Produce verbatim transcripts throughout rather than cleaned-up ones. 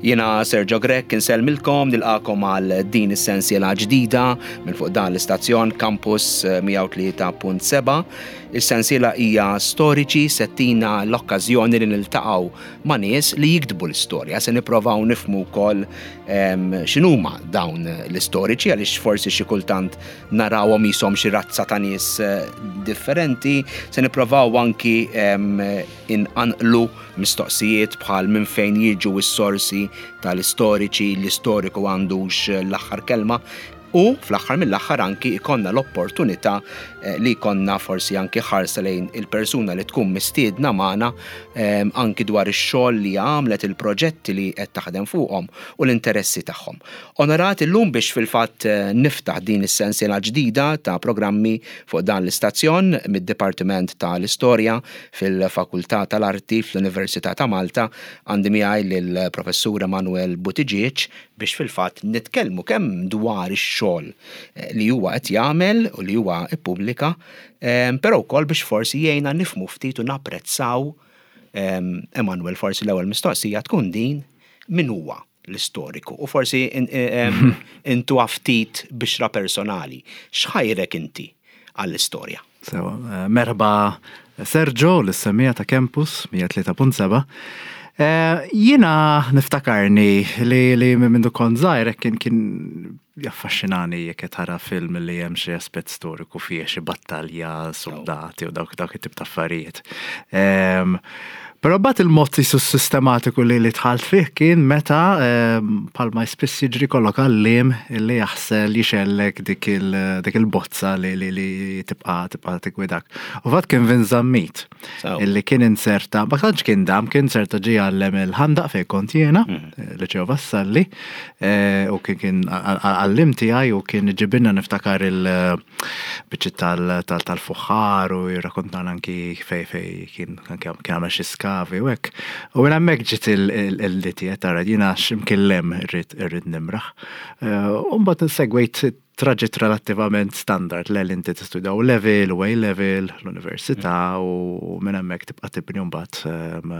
Jiena Sergio Grech, insellmilkom, nilqagħkom għal din is-sensiela ġdida minn fuq dan l-istazzjon Campus mija u tlieta punt seba'. Is-sensiela hija Storiċi, se ttina l-okkażjoni li niltaqgħu ma' nies li jiktbu l-istorja. Se nipprovaw nifhmu wkoll x'inhuma dawn l-istoriċi, għaliex forsi xi kultant narawhom qishom xi razza ta' nies eh, differenti. Se nipprovaw anki inqanqlu mistoqsijiet bħal minn fejn jiġu s-sorsi tal-istoriċi, l-istoriku għandux l-aħħar kelma. U fl-aħħar mill-aħħar anki ikonna l-opportunità eh, li jkollna forsi anki ħarsa lejn il-persuna li tkun mistiedna magħna, eh, anki dwar ix-xogħol li għamlet, il-proġetti li qed taħdem fuqhom u l-interessi tagħhom. Onorat illum biex fil-fatt eh, niftaħ din is-sensiela ġdida ta' programmi fuq dan l-istazzjon mid-Dipartiment tal-Istorja fil-Fakultà tal-Arti fl-Università ta' Malta, għandi miegħi lill-Professur Emanuel Buttigieg biex fil-fatt nitkellmu kemm dwar ix-xogħol eh, li huwa qed jagħmel u li huwa ippubblika, eh, però wkoll biex forsi jgħinna nifhmu ftit u napprezzaw. Emanuel, forsi l-ewwel mistoqsija tkun din: min huwa l-istoriku? U forsi intu ftit bixra personali. X'ħajrek inti għall-istorja? Sewa, eh, merħba Sergio, lis-semmiegħa ta' Campus mija u tlieta punt seba'. Eh, jiena niftakarni li li minn kont żgħir kien kien jaffaxxinani jekk tara film li hemm xi aspett storiku fih, xi battalja, soldati u dawk dawk it-tip ta' affarijiet. Però bat il-mod jisu sistematiku li li dħalt fih kien meta palma spiss jiġri kollok għallim li jaħsel jixgħellek dik il-bozza li li li tibqa tibqa tigwidak. U fatt kien Vin Zammit illi kien inserta, ma tantx kien dam, kien inserta ġie għallem il-Ħandaq fejn kont jiena, mhm. Liċeo Vassalli, eh, u kien kien għallim tiegħi u kien ġibilna, niftakar, il-biċċiet tal-fuħħar u jirrakontana anki fej fej kien kien għamel xi skavi u hekk. U minn hemmhekk ġiet il-liti tara jiena x'imkien irrid irrid nimraħ. Eh, u mbagħad segwejt traġitt relattivament standard li inti tistudja O level u A level l-università u minn hemmhekk tibqa' tibni mbagħad. Ehm,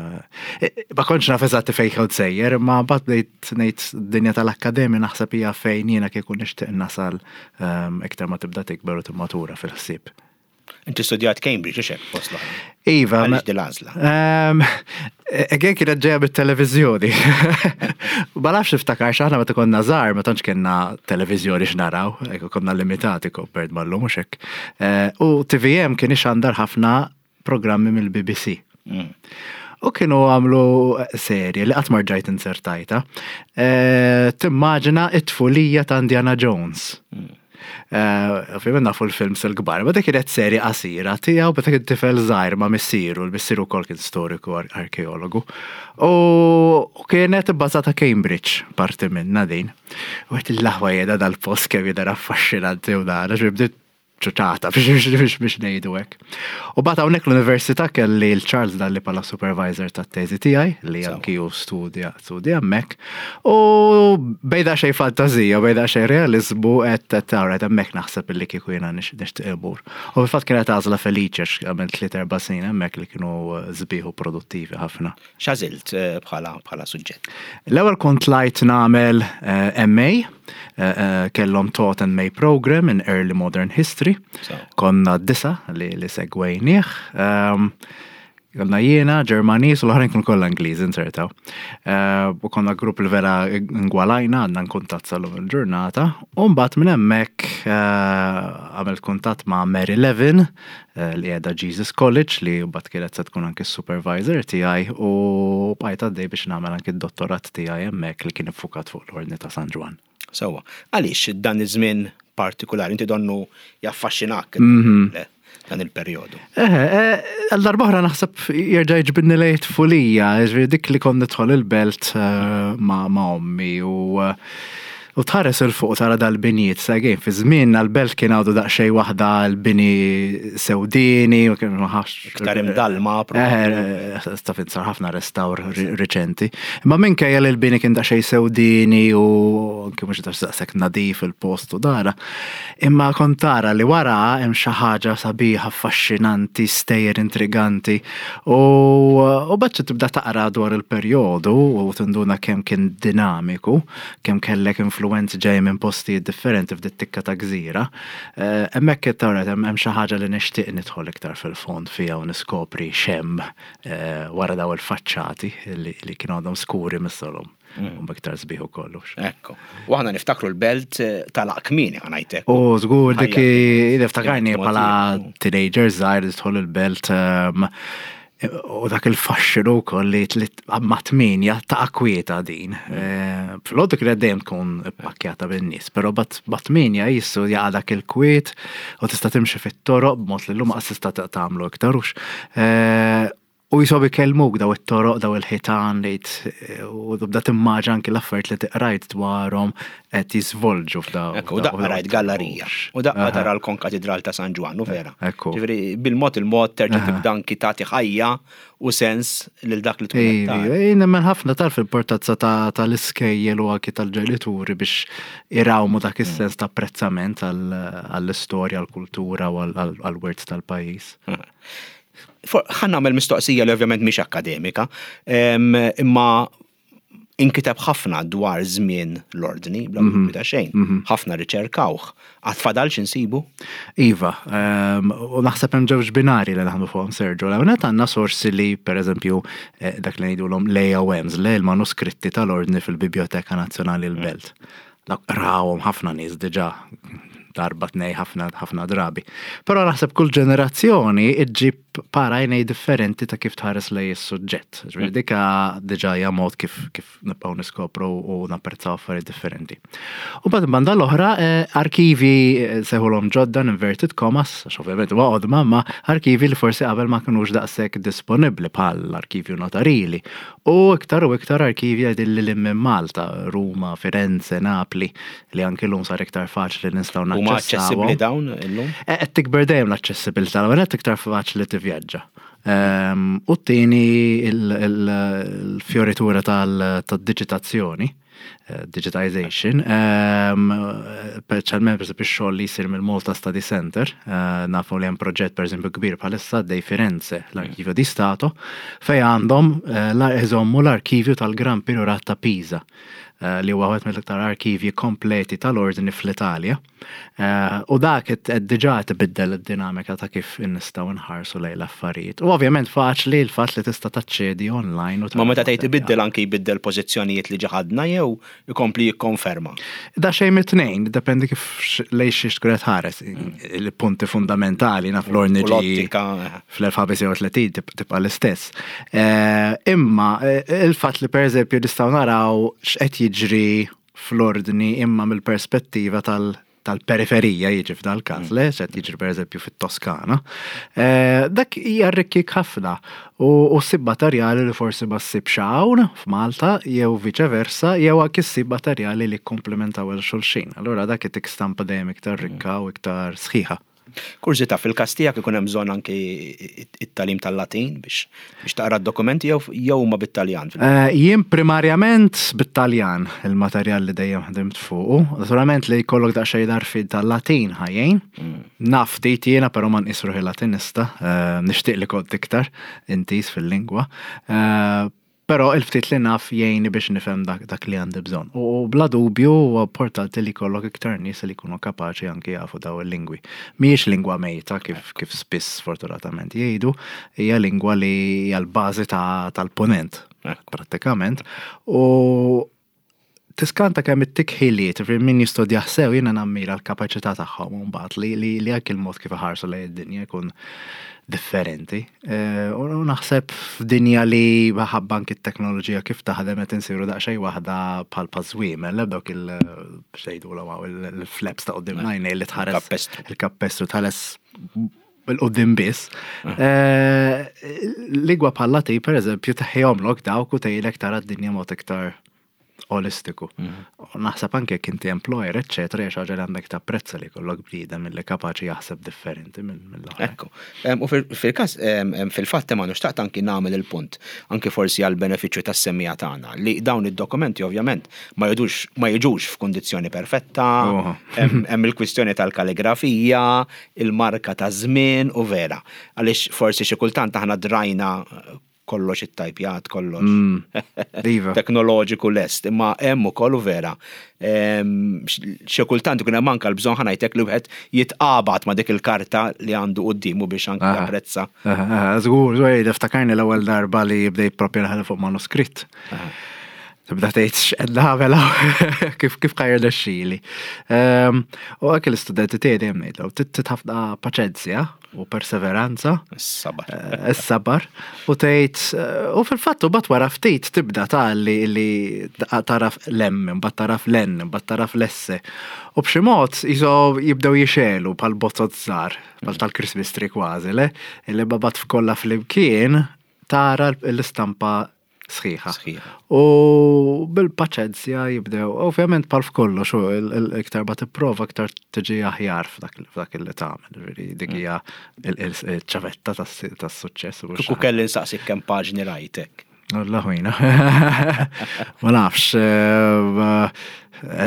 eh, ma kontx naf eżatt fejn kont sejjer, imma mbagħad bdejt ngħid dinja tal-akkademja naħseb hija fejn jiena kieku nixtieq nasal ehm, iktar ma tibda tikber u timmatura fil-ħsieb. Inti studjat Cambridge, hekk fost l Iva. Għaliex din l-għażla? Ehm, Again kienet ġeja bit-televizjoni. Ma nafx iftakar x'aħna meta konna żgħar, ma tantx kellna televiżjoni x'naraw, konna limitati compared mal-lum, mhux hekk. Eh, u T V M kien ixandar ħafna programmi mill-B B C. Mm. U kienu għamlu serje li qatt ma rġajt insertajta. Eh, timmaġina it-tfulija ta' Indiana Jones. Mm. Eh, ovvijament nafu l-films il-kbar, ma dik kienet serje qasira tiegħu meta kien tifel żgħir ma' missieru, l-missieru wkoll kien storiku, arkeologu. U kienet ibbażata Cambridge, parti minna din. U għedt, "L-aħwa jeda dal-post kemm jidher affaxxinanti", u dan, għax bdiet ċuċata biex biex biex ngħidu hekk. U bat hawnhekk l-università kelli l-Charles Dalli bħala supervisor tat-teżi tiegħi, li anki hu studja studja hemmhekk. U bejda xejn fantazija, bejda xejn realizmu, qed tara hemmhekk naħseb illi kieku jiena nixtieq imur. U fil-fatt kienet għażla feliċi għax għamilt tliet erba' snin hemmhekk li kienu sbieħ u produttivi ħafna. X'għażilt eh, bħala bħala suġġett? L-ewwel kont tlajt nagħmel eh, M A, eh, kellhom taught M A program in Early Modern History. Konna disa li, li segwejnieh. Um, Konna jiena, Ġermaniż u l-oħrajn kienu kollha Ingliż insertaw. Uh, u konna grupp li vera ngwalajna, għandna kuntatt sal-lum il-ġurnata. U mbagħad minn hemmhekk uh, għamilt kuntatt ma' Mary Levin, uh, li qiegħda Jesus College, li mbagħad kienet se tkun anki supervisor tiegħi, u bqajt għaddej biex nagħmel anki d-dottorat tiegħi hemmhekk li kien iffukat fuq l-Ordni ta' San Ġwann. Sewwa. Għaliex dan iż-żmien partikolari? Inti donnu jaffaxxinak Mhm. dan il-perjodu. Eh, għal darb'oħra naħseb jerġa' jiġbidni lejn tfulija, ġifieri dik li kont nidħol il-belt eh, ma' ma' ommi u eh, U tħares 'il fuq tara dal-binijiet, sagħin, fi żmien l-belt kien għadu daqsxejn waħda l-bini sewdini, u kien maħax. Iktar imdalma. Eh, taf sar ħafna restawr riċenti. Imma minkejja li l-bini kien daqsxejn sewdini u anke mhux daqshekk nadif il-post u dara. Imma kont tara li wara hemm xi ħaġa sabiħa, affaxxinanti, stejjer intriganti. U u baċċa tibda taqra dwar il-perjodu u tinduna kemm kien dinamiku, kemm kellek influenzi ġej minn postijiet differenti f'dit tikka ta' gżira. Eh, hemmhekk tara hemm xi ħaġa li nixtieq nidħol iktar fil-fond fiha u niskopri x'hemm eh, wara daw il-faċċati li kienu għadhom skuri missolhom. Mm. U iktar sbieħ u kollox. Ekku. U aħna niftakru l-belt eh, tal-Akmini ħanajtek. U żgur dik niftakarni bħala teenager żgħir tidħol il-belt ehm, u dak il-faxxinu wkoll li ma tminja ta' akwieta din. Eh, Filgħodu kienet dejjem tkun pakkjata bin-nies, però ma tminja jissu jaqa' dak il-kwiet u tista' timxi fit-toroq b'mod li llum qas tista' tagħmlu iktar hux. Eh, U jisob ikellmuk daw it-toroq, daw il-ħitan li u tibda timmaġina anki l-affarijiet li tiqrajt dwarhom qed jiżvolġu f'daw. Ekku, u daqqa rajt gallerija. U daqqa tara l-Konkatedral ta' San Ġwann, u vera. Ekku. Ġifieri bil-mod il-mod terġa' tibda anki tagħti ħajja u sens lil dak li tkun qed tara. Ej, nemmen ħafna tarf il-portazza tal-iskejjel u anki tal-ġenituri biex irawmu dak is-sens ta' apprezzament għall-istorja, għall-kultura u għall-wirt tal-pajjiż. Ħa nagħmel mistoqsija li ovvjament mhix akademika, imma inkiteb ħafna dwar żmien l-ordni, bla dubju ta' xejn. Ħafna riċerkawh. Għad fadal x'insibu? Iva, u naħseb hemm ġewġ binari li naħdmu fuqhom Sergio. L-ewwel għandna sorsi li pereżempju eh, dak li ngħidulhom l-A O Ms, le l-manuskritti tal-ordni fil-Biblioteka Nazzjonali l-Belt. Dak rawhom ħafna nies diġà darba tnej ħafna ħafna drabi. Però naħseb kull ġenerazzjoni iġġib para għajnej differenti ta' kif tħares lej is-suġġett. Ġifieri dika diġà hija mod kif kif nibqgħu niskopru u napprezzaw affarijiet differenti. U bad banda l-oħra eh, arkivi eh, sejħulhom ġodda inverted commas, għax ovvjament huwa qodma, ma arkivi li forsi qabel ma kinux daqshekk disponibbli bħal l-arkivju notarili. U iktar u iktar arkivi għedin li minn Malta, Ruma, Firenze, Napli, li anki l-lum sar iktar faċli nistgħu Huma aċċessibbli naċċessawhom. dawn illum? Eh, Qed tikber dejjem l-aċċessibilità, l qed iktar faċli tivvjaġġa. Ehm, U t-tieni il-fioritura tal-digitazzjoni, eh, digitization, ehm, speċjalment per esempio x-xogħol li jsir mill-Malta Study Center, eh, nafu li hemm proġett per esempio kbir bħalissa dej Firenze, l-Arkivju di Stato, fej għandhom eh, la- iżommu l-arkivju tal-Gran Priorat ta' Pisa, eh, li huwa wieħed mill-iktar arkivji kompleti tal-ordni fl-Italja. Eh, U dak qed qed diġà tbiddel id-dinamika ta' kif nistgħu nħarsu lejn l-affarijiet. U ovvjament faċli l-fatt li tista' taċċedi online. u Ma meta tgħid tara ibiddel anki jbiddel pożizzjonijiet li ġaħadna jew ikompli jikkonferma. Da xejn mit-tnejn, dependi kif x- lej xiex tkun qed ħares. Il-punti fundamentali naf l-ordni U ġi l-ottika. eh, fl-elf ħames mija u tletin tib- tibqa l-istess. Eh, Imma eh, il-fatt li per eżempju nistgħu naraw x'qed jiġri fl-ordni imma mill-perspettiva tal- tal-periferija jiġi f'dal każ, le, x'qed jiġri per eżempju fit-Toskana. Eh, Dak jarrikkik ħafna u u ssib materjali li forsi ma ssibx hawn f'Malta jew viċe versa jew anki ssib materjali li komplementaw il xulxin. Allura dak itik stampa dejjem iktar rikka u iktar sħiħa. Kurżità, fil-każ tiegħek ikun hemm bżonn anki it-tagħlim tal-Latin biex biex taqra d-dokumenti jew jew huma bit-Taljan. Eh, Jien primarjament bit-Taljan il-materjal li dejjem ħdimt fuqu. Naturalment li jkollok daqsxejn darfi tal-Latin ħajjin. Naf ftit jiena però ma nqis ruħi Latinista, eh, nixtieq li kont iktar intis fil-lingwa. Eh, Però il-ftit li naf jgħinni biex nifhem dak, dak li għandi bżonn. U bla dubju huwa importanti li jkollok iktar nies li jkunu kapaċi anki jafu daw il-lingwi. Mhijiex lingwa mejta kif, kif spiss fortunatament jgħidu, hija lingwa li hija l-bażi ta- tal-ponent prattikament. U tiskanta kemm ittik ħiliet, ġifieri min jistudja sew jiena nammira l-kapaċità tagħhom u mbagħad li li li anki l-mod kif iħarsu lejn id-dinja jkun differenti. Eh, U naħseb f'dinja li ħabba anki t-teknoloġija kif taħdem qed insiru daqsxejn waħda bħal pażwiemel, dawk il xejdu il-flaps ta' quddiem l-għajnejn li tħares Kappestru. il-kappestru tħares bil-qoddim biss. Eh, Lingwa bħal Latin, per eżempju, teħjomlok dawk u tgħidlek tara d-dinja mod iktar olistiku. U naħseb anke jekk inti employer, eccetera, hija xi ħaġa li għandek tapprezza li jkollok bniedem li kapaċi jaħseb differenti mill-oħra. Ekku. U fil-każ, fil-fatt ma xtaqt anki nagħmel il-punt, anki forsi għal benefiċċju tas-semmiegħa tagħna, li dawn id-dokumenti ovvjament ma jidux ma jiġux f'kundizzjoni perfetta, hemm il-kwistjoni tal-kaligrafija, il-marka ta' żmien u vera. Għaliex forsi xi kultant aħna drajna kollox it-tajpjat, kollox Iva. teknoloġiku lest, imma hemm ukoll u vera. Xi kultant ikun hemm anke l-bżonn, ħa ngħidlek, li wieħed jitqabad ma' dik il-karta li għandu quddiemu biex anke Aha. japprezza. Żgur, żgur, niftakarni l-ewwel darba li bdejt propju naħdem fuq manuskritt. Tibda tgħid x'qed nagħmel hawn, kif kif ħa jirnexxili. U anke l-istudenti tiegħi dejjem ngħidlhom, trid ħafna paċenzja u perseveranza. Is-sabar. Eh, Is-sabar. U tgħid eh, u fil-fatt u bat wara ftit tibda ta' li li taraf l-M, mbagħad taraf l-N, mbagħad taraf l-S. U b'xi mod jiso jibdew jixegħlu bħal bozzot żgħar, bħal tal-Christmas tree kważi, le? Illi babat f'kollha flimkien tara l-istampa sħiħa. Sħiħa. U bil-paċenzja jibdew, ovvjament bħal f'kollox, u il- iktar ma tipprova iktar tiġi aħjar f'dak f'dak li tagħmel. Ġifieri dik hija il-ċavetta tas-suċċess. u Kieku kelli nsaqsik kemm paġni rajtek. Allah ħwina. Ma nafx. eh,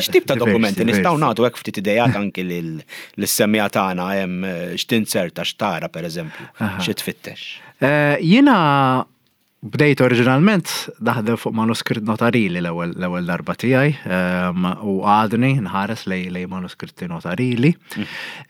X'tip ta' diversi, dokumenti nistgħu diversi. nagħtu hekk ftit idejat anki lis-semmiegħa tagħna hemm eh, x'tinserta x'tara, pereżempju, xi tfittex? Eh, Jiena bdejt oriġinalment naħdem fuq manuskritt notarili l-ewwel l-ewwel darba tiegħi ehm, u għadni nħares lej lej manuskritti notarili.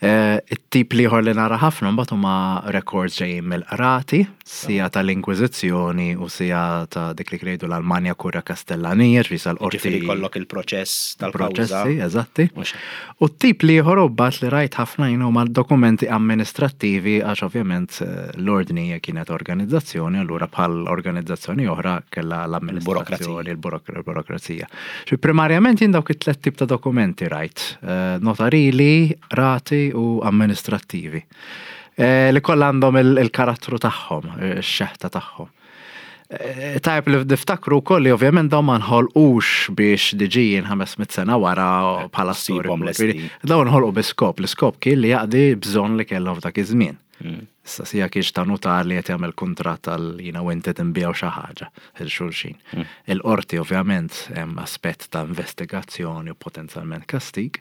Eh, It-tip l-ieħor li nara ħafna mbagħad huma records ġejjin mill-qrati, sija tal-Inkwiżizzjoni u sija ta' dik li ngħidu l-Almanja Kurja Kastellanija, ġifieri sal-qorti. Ġifieri kollok il-proċess tal-kawża. Proċessi, eżatti. Mhux. U t-tip l-ieħor u bat li rajt ħafna jien huma dokumenti amministrattivi, għax ovvjament eh, l-ordni kienet organizzazzjoni, allura bħal organizzazzjoni oħra kella l-amministrazzjoni, il-burokrazija. Xi primarjament jien dawk it-tlet tip ta' dokumenti rajt, eh, notarili, qrati u amministrattivi. Eh, Li kollha għandhom il- il-karattru tagħhom, eh, ix-xeħta tagħhom. Eh, Tajb li niftakru wkoll li ovvjament dawn ma nħolqux biex diġijin ħames mitt sena wara bħala Ssibhom storiku. lesti. Ġifieri, dawn nħolqu bi skop, l-iskop kien li jaqdi bżonn li kellhom f'dak iż-żmien. Issa sija kienx ta' notar li qed jagħmel kuntratt għal jiena u inti tinbiegħu xi ħaġa il xulxin. Il-qorti ovvjament hemm aspett ta' investigazzjoni u potenzjalment kastig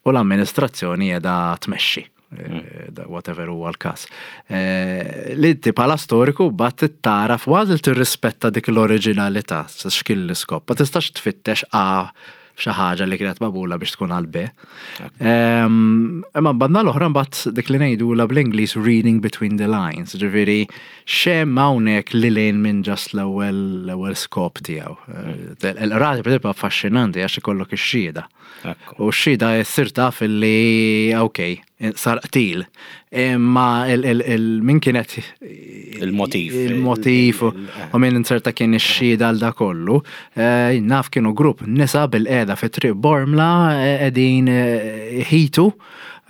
u l-amministrazzjoni qiegħda tmexxi. Eh, da- Whatever huwa l-każ. Eh, Li inti bħala storiku bat tara f'għażel tirrispetta dik l-oriġinalità, x'kien l-iskop. Ma tistax tfittex A xi ħaġa li kienet magħmula biex tkun għal B. Ehm, Imma banda l-oħra mbagħad dik li ngħidu la bl-Ingliż reading between the lines, ġifieri x'hemm hawnhekk li lejn minn just l-ewwel l-ewwel skop tiegħu. Eh, Il-qrati per affaxxinanti għax ikollok ix-xhieda. Ekku. U x-xhieda ssir taf li ok, sar qtil. Imma il- il- il- min kienet Il-motiv. Il-motiv u u min inserta kien ix-xhieda għal da kollu. Eh, Naf kienu grupp nisa bil-qeda fi triq Bormla eh, qegħdin eh, ħitu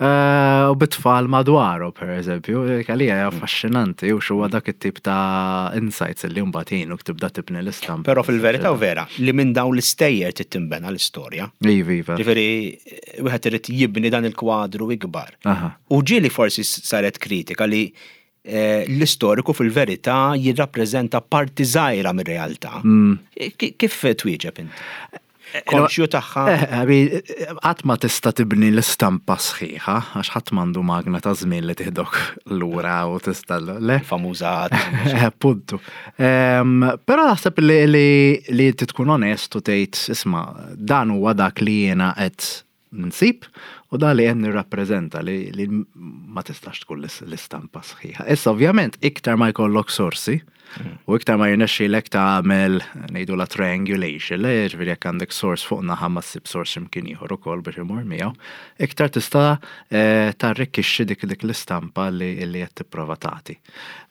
eh, u bit-tfal madwaru, per eżempju, għalija hija affaxxinanti u xuwa dak it-tip ta' insights li mbagħad jgħinuk tibda tibni l-istampa. Però fil-verità u vera, li minn dawn l-istejjer titinbena l-istorja. Iva, iva. Ġifieri, wieħed irid jibni dan il-kwadru ikbar. Aha. U ġieli forsi saret kritika li eh, l-istoriku fil-verità jirrappreżenta parti żgħira mir-realtà. Mm. Ki- Kif twieġeb inti? Konxju tagħha? Eh, għabi, qatt ma tista' tibni l-istampa sħiħa, għax ħadd m'għandu magna ta' żmien li tiħdok lura u tista' le. Famuża. Eh, Puntu. Em, Però naħseb li li li inti tkun onest u tgħid, isma', dan huwa dak li jiena qed nsib u dan li qed nirrappreżenta li, li ma tistax tkun l- l-istampa sħiħa. Issa ovvjament iktar ma jkollok sorsi u iktar ma jirnexxielek tagħmel ngħidu la triangulation, le, ġifieri jekk għandek source fuq naħa ma ssib source imkien ieħor ukoll biex imur miegħu, iktar tista' eh, tarrikkixxi dik dik l-istampa li li qed tipprova tagħti.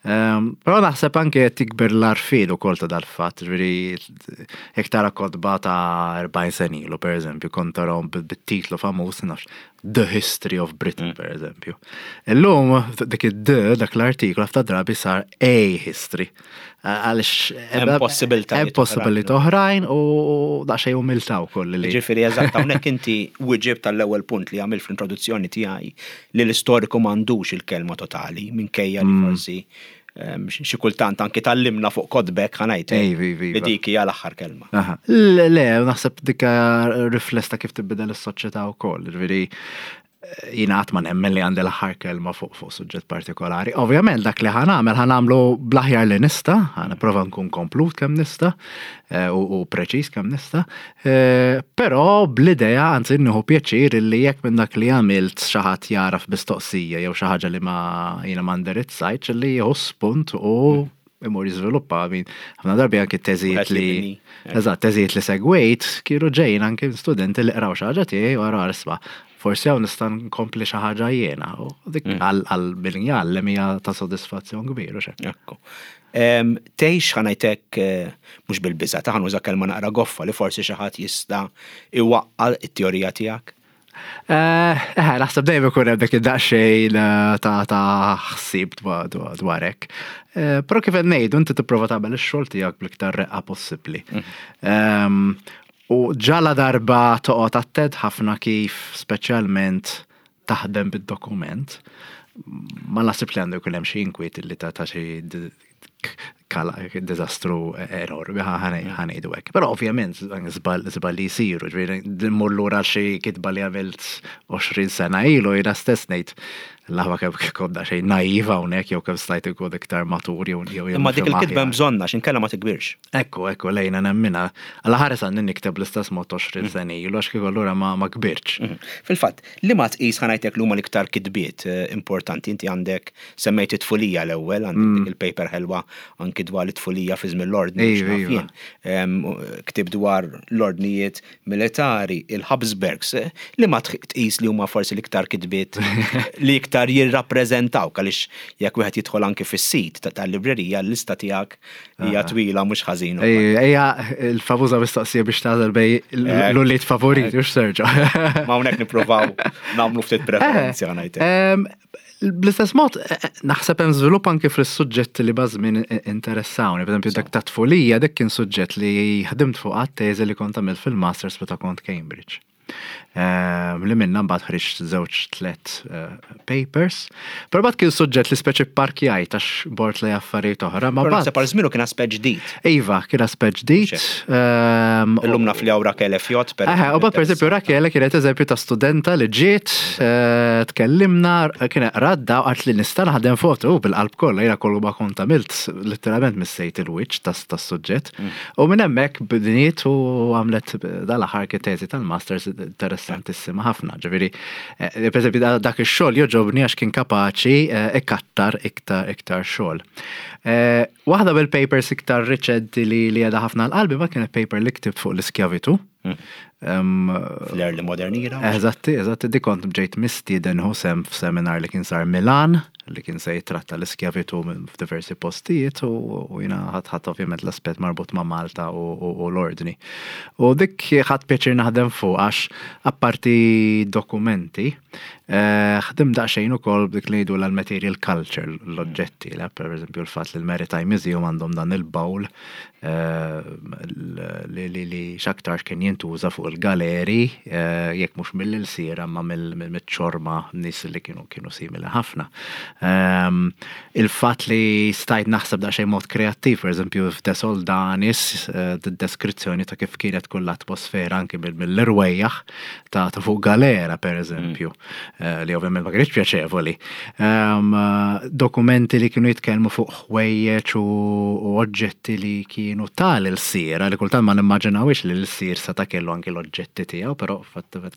Ehm, Però naħseb anke qed tikber l-għarfien ukoll ta' dal-fatt, ġifieri jekk tara kotba ta' erbgħin sena ilu, pereżempju, kont tarahom bit-titlu famuż, nafx, The History of Britain, mm. per eżempju. Illum, dik id-the, dak l-artiklu, ħafna drabi sar A History. Għalix. Hemm possibilitajiet. Hemm possibilitajiet oħrajn u daqsxejn umiltà wkoll li. Ġifieri eżatt, hawnhekk inti wieġibt tal-ewwel punt li għamil fl-introduzzjoni tiegħi, li l-istoriku m'għandux il-kelma totali, minkejja li mm. forsi xi kultant anki tgħallimna fuq kotbek, ħa ngħid, li dik hija l-aħħar kelma. Le, le, naħseb dik rifless ta' kif tibdel is-soċjetà wkoll. Ġifieri jiena qatt ma nemmen li għandi l-aħħar kelma fuq fuq suġġett partikolari. Ovvjament dak li ħa nagħmel, ħa nagħmlu bl-aħjar li nista', ħa nipprova nkun komplut kemm nista' eh, u preċiż kemm nista', eh, però bl-idea, anzi nieħu pjaċir li jekk minn dak li għamilt xi ħadd jaraf mistoqsija jew xi ħaġa li ma jiena ma ndirizzajtx, li jieħu spunt u imur jiżviluppa. Min ħafna darbi anki teżijiet li eżatt, teżijiet li segwejt kienu ġejjin anki studenti li qraw xi ħaġa tiegħi u għara, isma', forsi hawn nista' nkompli xi ħaġa jiena. U dik mm. għal min jgħallem hija ta' sodisfazzjon kbir u xek. Ekku. Tgħix, ħa ngħidlek, eh, mhux bil-biża', ta' ħa nuża kelma naqra goffa, li forsi xi ħadd jista' iwaqqa' it-teorija tiegħek? Eh, eh, naħseb dejjem ikun hemm dik id-daqsxejn ta' ta' ħsieb dwar hekk. Però kif qed ngħidu, inti tipprova tagħmel ix-xogħol tiegħek bl-iktar reqqa possibbli. Mm. U ġala darba toqgħod attent ħafna kif speċjalment taħdem bid-dokument, ma naħseb li għandu jkun hemm xi inkwiet li ta' ta' xi diżastru enormi, ħa ngħidu hekk. Però ovvjament żball li jsiru, ġifieri mmur lura xi kitba li għamilt għoxrin sena ilu, jiena stess ngħid l-aħwa kemm konna xejn naiva hawnhekk jew kemm stajt ikun iktar matur jew jew Imma dik il-kitba bżonna x'inkella ma tikbirx. Ekku, ekku, lejna nemmina. Alla ħares għandi nikteb l-istess mod għoxrin mm. sena ilu, għax kieku allura ma ma kbirx. Mhm. Fil-fatt, li ma tqis, ħa ngħidlek, l huma l-iktar kitbiet eh, importanti? Inti għandek, semmejt it-tfulija l-ewwel, għandek mm. dik il-paper ħelwa anki dwar it-tfulija fi żmien l-ordni. Ktib dwar l-ordnijiet militari, il-Habsburgs, eh, li ma tqis li huma forsi l-iktar kitbiet li iktar jirrappreżentaw, għaliex jekk wieħed jidħol anki fis-sit tal-librerija, l-lista tiegħek hija twila mhux ħażin. Ejja, il-famuża mistoqsija biex tagħżel bejn l-ulied favoriti, u Sergio. Ma hawnhekk nippruvaw nagħmlu ftit preferenzi, ħa ngħid. Bl-istess mod, eh, eh, naħseb hemm żvilupp anke fis-suġġetti li bażmin interessawni. Per eżempju, dak ta' tfulija, dak kien suġġett li ħdimt fuq għat-teżi li kont għamilt fil-Masters meta kont Cambridge. Ehm, li minna mbagħad ħriġt żewġ tlet eh, papers. Però mbagħad kien suġġett li speċi parkjajt għax bort li affarijiet oħra. Ma naħseb għal żmienu kien aspett ġdid. Iva, kien aspett ġdid. Ehm, Illum naf li hawn Rachele Fiot. Per u per eżempju Rachele kienet eżempju ta' studenta li ġiet, eh, tkellimna, kienet radda u għart li nista' naħdem foto bil-qalb kollha, jiena kollu ma kont għamilt, letteralment missejt il-wiċċ tas-suġġett. Mm. U minn hemmhekk bdiniet u għamlet dal-aħħar teżi tal-masters interessantissima ħafna. Ġifieri, eh, per eżempju, dak ix-xogħol jogħġobni għax kien kapaċi eh, ikattar iktar iktar xogħol. Eh, waħda bil-papers iktar riċenti li li għadha ħafna l-qalbi ma kienet paper li ktibt fuq l-iskjavitu. Hmm. Fl-early modern era. Eżatti, eżatti, di kont ġejt mistieden sehem f'seminar li kien sar Milan, li kien se jitratta l-iskjavitu f'diversi postijiet u jiena ħadt ħadt ovvjament l-aspett marbut ma' Malta u l-ordni. U dik ħadt pjaċir naħdem fuq għax apparti dokumenti, eh, ħdim daqsxejn ukoll dik li jgħidu l-material culture, l-oġġetti, per eżempju l-fatt li l-Maritime Museum għandhom dan il-bowl eh, li li x'aktar kien jintuża fuq il-galeri, eh, jekk mhux mill-ilsira ma mill-ċorma nies li kienu kienu simili ħafna. Ehm, il-fatt li stajt naħseb daqsxejn mod kreattiv, per eżempju f'De Soldanis, eh, deskrizzjoni ta' kif kienet kull l-atmosfera anki mill-irwejjaħ ta' fuq galera, per eżempju, mm. li ovvjament ma kienx pjaċevoli. Ehm, dokumenti li kienu jitkellmu fuq ħwejjeġ u oġġetti li kienu tal-ilsira, li kultant ma nimmaġinawx li l-ilsir seta' kellu anki l-oġġetti tiegħu, però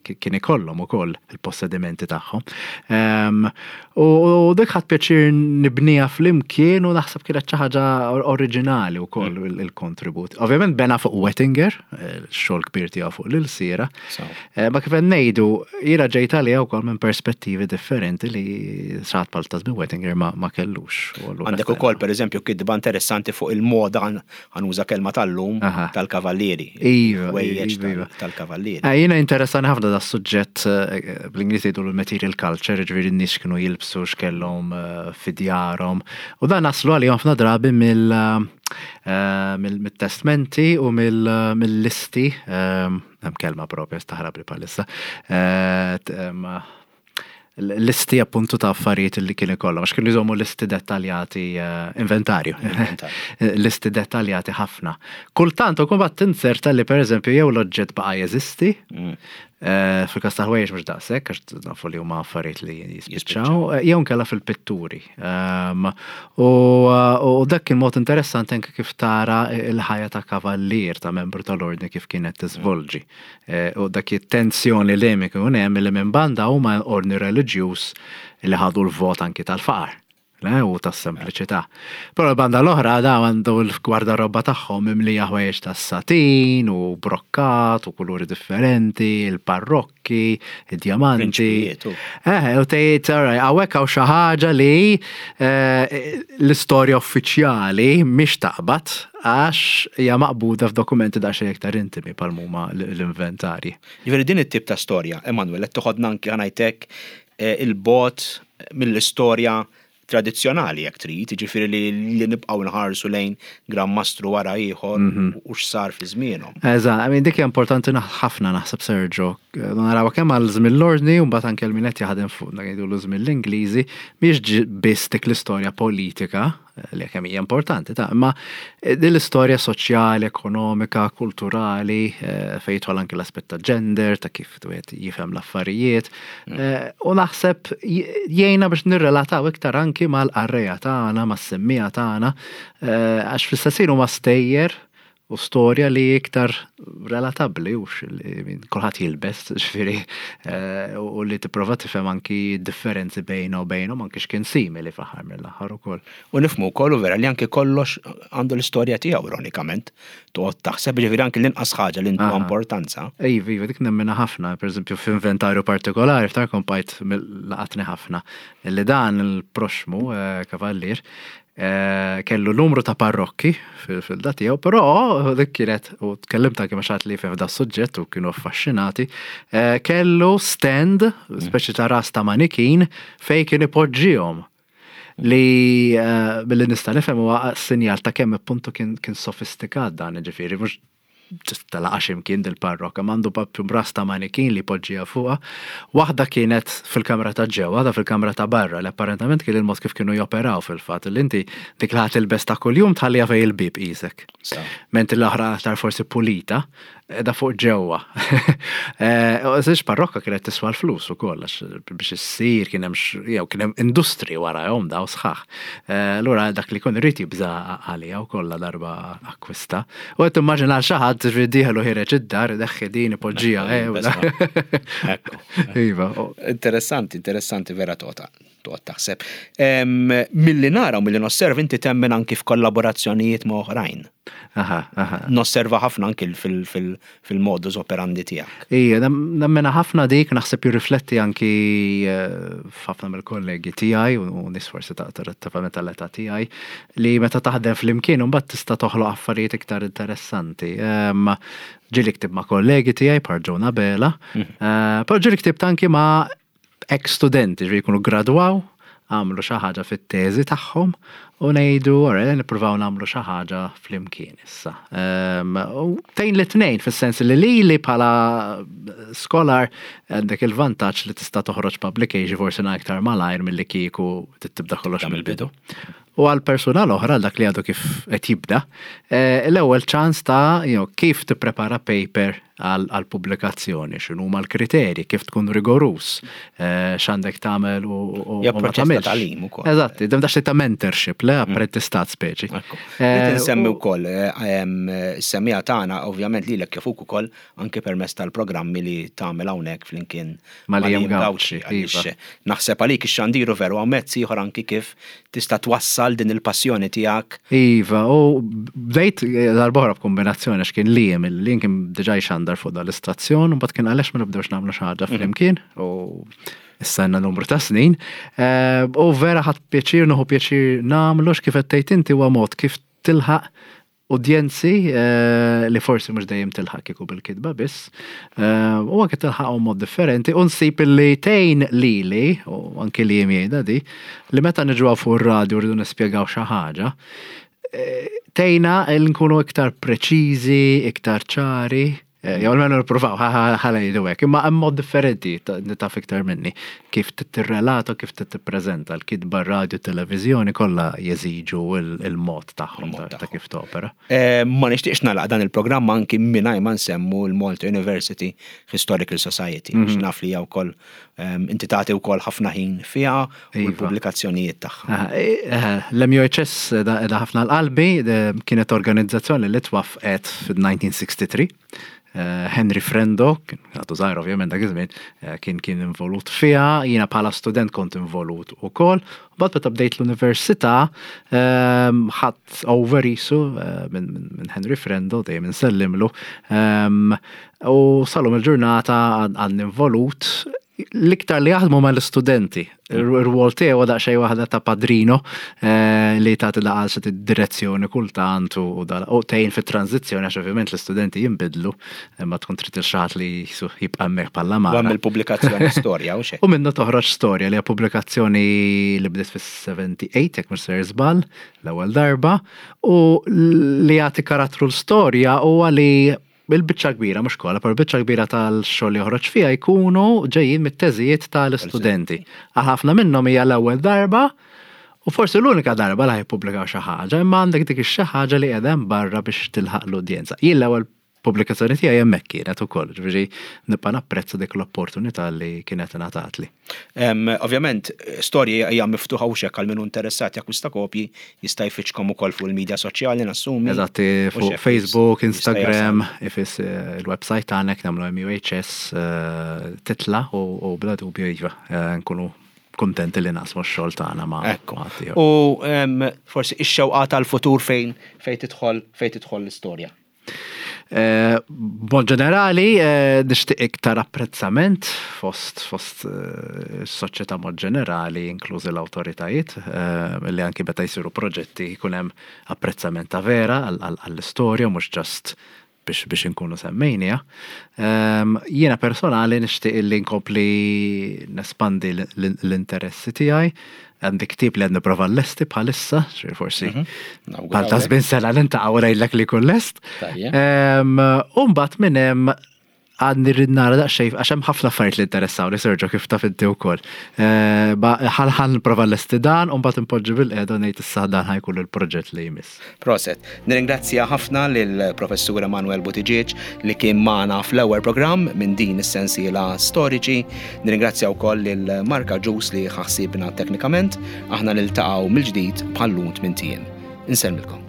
kien ikollhom ukoll il-possedimenti tagħhom. Ehm, u dik ħadt pjaċir nibnija flimkien u naħseb kienet xi ħaġa oriġinali wkoll mm. il-kontribut. Ovvjament bena fuq Wettinger, xogħol kbir tiegħu fuq l-ilsira. Eh, ma kif ngħidu, jiena ġejt għalija wkoll minn Perspettivi differenti li xi ħadd bħal ta' żmien Wettinger ma, ma kellux. U allura Għandek ukoll, per eżempju, kitba interessanti fuq il-moda, ħa nuża kelma tal-lum, Aha. tal-kavallieri. Iva, Ħwejjeġ iva, iva. tal- tal-kavallieri. Eh, Jiena interessani ħafna da suġġett, eh, bl-Ingliż jgħidu l-material culture, ġifieri n-nies kienu jilbsu, x'kellhom eh, fi djarhom. U dan naslu għalihom ħafna drabi mill eh, mill- mill-testmenti u mill- mill-listi, eh, hemm kelma propja staħrab li bħalissa, eh, t- em, listi appuntu ta' affarijiet li kien ikollhom, għax kienu jżommu listi dettaljati, eh, inventarju, Inventarju. Listi dettaljati ħafna. Kultant u kumbat tinzerta li, per eżempju, jew l-oġġett baqa' jeżisti, Mm. eh, fil-kas ta' ħwejjeġ mhux daqshekk, għax nafu li huma affarijiet li jispiċċaw, eh, jew nkella fil-pitturi. Um, U u dak kien mod interessanti anke kif tara il-ħajja ta' kavallier, ta' membru tal-ordni, kif kienet tiżvolġi. Eh, U dak it-tensjoni li hemm ikun hemm li minn banda huma ordni reliġjuż li ħadu l-vot anki tal-faqar. Le, u tas-sempliċità. Però l-banda l-oħra da għandu l-gwardarobba tagħhom mimlija ħwejjeġ tas-satin u brokkat u kuluri differenti, il-parrokki, id-djamanti. Prinċpijiet, u. Eh, u tgħid, alright, hawnhekk hawn xi ħaġa li eh, l-istorja uffiċjali mhix taqbad, għax hija maqbuda f'dokumenti daqsxejn iktar intimi bħal huma l-inventarji. Ġifieri din it-tip ta' storja, Emanuel, qed toħodna anki, ħa ngħidlek, eh, il-bogħod mill-istorja tradizzjonali jekk trid, ġifieri li, li nibqgħu nħarsu lejn Gran Mastru wara ieħor u x'sar fi żmienhom. Eżatt, I mean, dik hija importanti naħ- ħafna naħseb, Sergio. Naraw kemm għal żmien l-ordni u mbagħad anke l-min qed jaħdem fuq ngħidu l żmien l-Ingliżi, mhix ġi- biss dik l-istorja politika li kemm hija importanti ta' imma din l-istorja soċjali, ekonomika, kulturali, eh, fejn jidħol anke l-aspett ta' gender, ta' kif wieħed jifhem l-affarijiet. Eh, U naħseb j- jgħinna biex nirrelataw iktar anki mal-qarrejja tagħna, mas-semmiegħa tagħna, eh, għax fl-istess ħin huma stejjer u storja li iktar relatabbli u li kulħadd jilbes, ġifieri, eh, u li tipprova tifhem anki differenzi bejna u bejnhom, anki x'kien simili fl-aħħar mill-aħħar ukoll. U nifhmu wkoll u vera li anke kollox għandu l-istorja tiegħu, ironikament. Toqgħod taħseb, ġifieri anke l-inqas ħaġa li ntuha Aha. importanza. Iva, iva, dik nemmina ħafna, per eżempju, f'inventarju partikolari, ftakar kompajt laqatni ħafna, li dan il-proxmu eh, kavallier eh, kellu numru ta' parrokki fil- fil-da tiegħu, però dik kienet, u tkellimt anke ma' xi ħadd li f'da suġġett u kienu affaxxinati, eh, kellu stand, speċi ta' ras ta' manikin, fej kien ipoġġihom li eh, billi nista' nifhem huwa sinjal ta' kemm appuntu kien kien sofistikat dan, ġifieri mhux just talaqa ximkien dil-parrokka, m'għandu propju ras ta' manikin li poġġija fuqha. Waħda kienet fil-kamra ta' ġewwa, waħda fil-kamra ta' barra, li apparentament kien il-mod kif kienu joperaw fil-fatt, li inti dik li ħa tilbes ta' kuljum tħallija fej il-bib qisek. Sa. Mentri l-oħra aktar forsi pulita, da fuq ġewwa. Eh, U żewġ parrokka kienet tiswa l-flus ukoll, għax biex issir kien hemm x- jew kien hemm industri warahom daw sħaħ. Eh, Allura dak li kun irid jibża għalija wkoll la darba akkwista. U qed timmaġina għal xi ħadd ġifieri dieħel u ħiereġ id-dar, deħħi din ipoġġija. eh, u da- Ekku. Iva, u- Interessanti, interessanti vera toqgħod toqgħod taħseb. Em, Milli nara u milli nosserva, inti temmen anki f'kollaborazzjonijiet ma' oħrajn. Aha, aha. Nosserva ħafna anki fil- fil- fil-modus operandi tiegħek. Ija, nemmena ħafna dik, naħseb jirrifletti anki eh, f'ħafna mill-kollegi tiegħi u nies forsi ta' ta' tal-età tiegħi, li meta taħdem flimkien mbagħad tista' toħloq affarijiet iktar interessanti. Em, Ġieli ktibt ma' kollegi tiegħi bħal Jonah Bela, eh, però ġieli ktibt anki ma' ex-studenti, ġifieri jkunu gradwaw, għamlu xi ħaġa fit-teżi tagħhom u ngħidu ora nippruvaw nagħmlu xi ħaġa flimkien issa. Em, U tejn li tnejn fis-sens li li li bħala scholar għandek il-vantaġġ li tista' toħroġ publication forsi aktar malajr milli kieku tibda kollox mill-bidu. U għal persuna l-oħra, dak li għadu kif qed jibda, eh, l-ewwel ċans ta' you know, kif tipprepara paper għal għal pubblikazzjoni, x'inhuma l-kriterji, kif tkun rigorus, eh, x'għandek tagħmel u u- Ja, u ma proċess ta' tagħmilx. tagħlim ukoll. Eżatt, dem dax ta' mentorship, le apprentistat speċi. Ekku. Eh, Rrid insemmi u- wkoll eh, em, is-semmiegħa tagħna ovvjament lilek kif ukoll anke permezz tal-programmi li tagħmel hawnhekk flimkien Ma' Liam Liam Gauci, għaliex iva. naħseb għalik ix-xandiru veru hawn mezz ieħor anki kif tista' twassal din il-passjoni tiegħek. Iva, u bdejt darb'oħra b'kombinazzjoni, għax kien Liam, il-Liam kien diġà jxandar fuq dal-istazzjon, u mbagħad kien għaliex ma nibdewx nagħmlu xi ħaġa flimkien, u Issa għandna numru ta' snin. Eh, u vera ħadt pjaċir, nieħu pjaċir nagħmlu kif qed tgħid inti, huwa mod kif tilħaq udjenzi eh, li forsi mhux dejjem tilħaq kieku bil-kitba biss. Eh, u anke tilħaq mod differenti u nsib li tgħin lili u anke li jgħidha di li meta niġu fuq ir-radju rridu nispjegaw xi ħaġa, eh, tgħinna li nkunu iktar preċiżi, iktar ċari. Eh, Jew almenu nippruvaw, ħa ngħidu hekk, imma hemm mod differenti, ta- taf iktar minni, kif tirrelata, kif tippreżenta l-kitba, radio, televiżjoni, kollha jeżiġu il- il-mod tagħhom Il-mod ta' ta' kif topera. Eh, Ma nixtieqx nagħlaq dan il-programm anki mingħajr ma nsemmu l-Malta University Historical Society, mm naf li hija wkoll em, inti tagħti wkoll ħafna ħin fiha u Iva. l-pubblikazzjonijiet tagħha. Ah, eh, L-M U H S da ħafna l-qalbi, de- kienet organizzazzjoni li twaffqet fil-elf disa' mija u tlieta u sittin. Eh, Henry Frendo, kien għadu żgħir ovvjament dak iż-żmien, eh, kien kien involut fiha, jiena bħala student kont involut ukoll. Mbagħad meta bdejt l-università, ehm, ħadt over isu eh, minn minn- minn Henry Frendo, dejjem insellimlu. Ehm, U sal-lum il-ġurnata għadni involut, l-iktar li jaħdmu ma l-studenti. Ir-rwol tiegħu huwa daqsxejn waħda ta' padrino eh, li tagħti daqal xi direzzjoni kultant u dal- u tgħin fit-tranzizzjoni, għax ovvjament l-istudenti jinbidlu, imma tkun trid il xi ħadd li jisu jibqa' hemmhekk bħala U mara. hemm il-pubblikazzjoni Storja u xejn. U minnu toħroġ Storja, li hija pubblikazzjoni li bdiet fis-sebgħa u sebgħin, jekk mhux ser żball, l-ewwel darba, u li jagħti karattru l-Storja huwa li il-biċċa kbira, mhux kollha, però il-biċċa kbira tal-xogħol li joħroġ fiha jkunu ġejjin mit-teżijiet tal-istudenti. Għal ħafna minnhom hija l-ewwel darba u forsi l-unika darba li jippubblikaw xi ħaġa, imma għandek dik ix-xi ħaġa li qiegħda hemm barra biex tilħaq l-udjenza. Jien l-ewwel pubblikazzjoni tiegħi hemmhekk kienet ukoll, ġifieri nibqa' napprezza dik l-opportunità li kienet ingħatatli. Em, Ovvjament, Storja hija miftuħa u xek għal min hu interessat jakkwista kopji, jista' jfittxkom ukoll fuq il-medja soċjali, nassumi. Eżatti, U fuq xek Facebook, jista' Instagram, ifis eh, il-website tagħna nagħmlu M U H S, eh, titla u u bla dubju iva, eh, nkunu kontenti li naqsmu x-xogħol tagħna ma' Ekku. ma' ħaddieħor. U em, forsi ix-xewqa tal-futur fejn fejn tidħol fejn tidħol l-istorja. Eh, B'mod ġenerali, eh, nixtieq iktar apprezzament fost fost eh, s-soċjetà mod ġenerali, inklużi l-awtoritajiet, eh, li anki meta jsiru proġetti jkun hemm apprezzament ta' vera għall- għall- għall-istorja, mhux just biex biex inkunu semmejnija. Ehm, Jiena personali nixtieq li nkompli nespandi l- l- l-interessi tiegħi. Għandi ktieb li għandi prova l-lesti bħalissa, xi forsi Nawgurawlek. bħal ta' żmien sena l-intaqgħu ngħidlek li jkun lest. Tajjeb. Ehm, U mbagħad minn hemm għadni rrid nara daqsxejn, għax hemm ħafna affarijiet li interessawni, Sergio, kif taf inti wkoll. Eh, ba- Ħal ħal nipprova lesti dan u mbagħad impoġġi bil-qiegħda u ngħid issa dan ħa jkun il-proġett li jmiss. Proset. Nirringrazzja ħafna lill-Professur Emanuel Buttigieg li kien magħna fl-ewwel programm minn din is-sensiela Storiċi. Nirringrazzja wkoll lil Marka Ġus li ħassibna teknikament. Aħna niltaqgħu mill-ġdid bħal-lum tmint ijiem. Insellmilkom.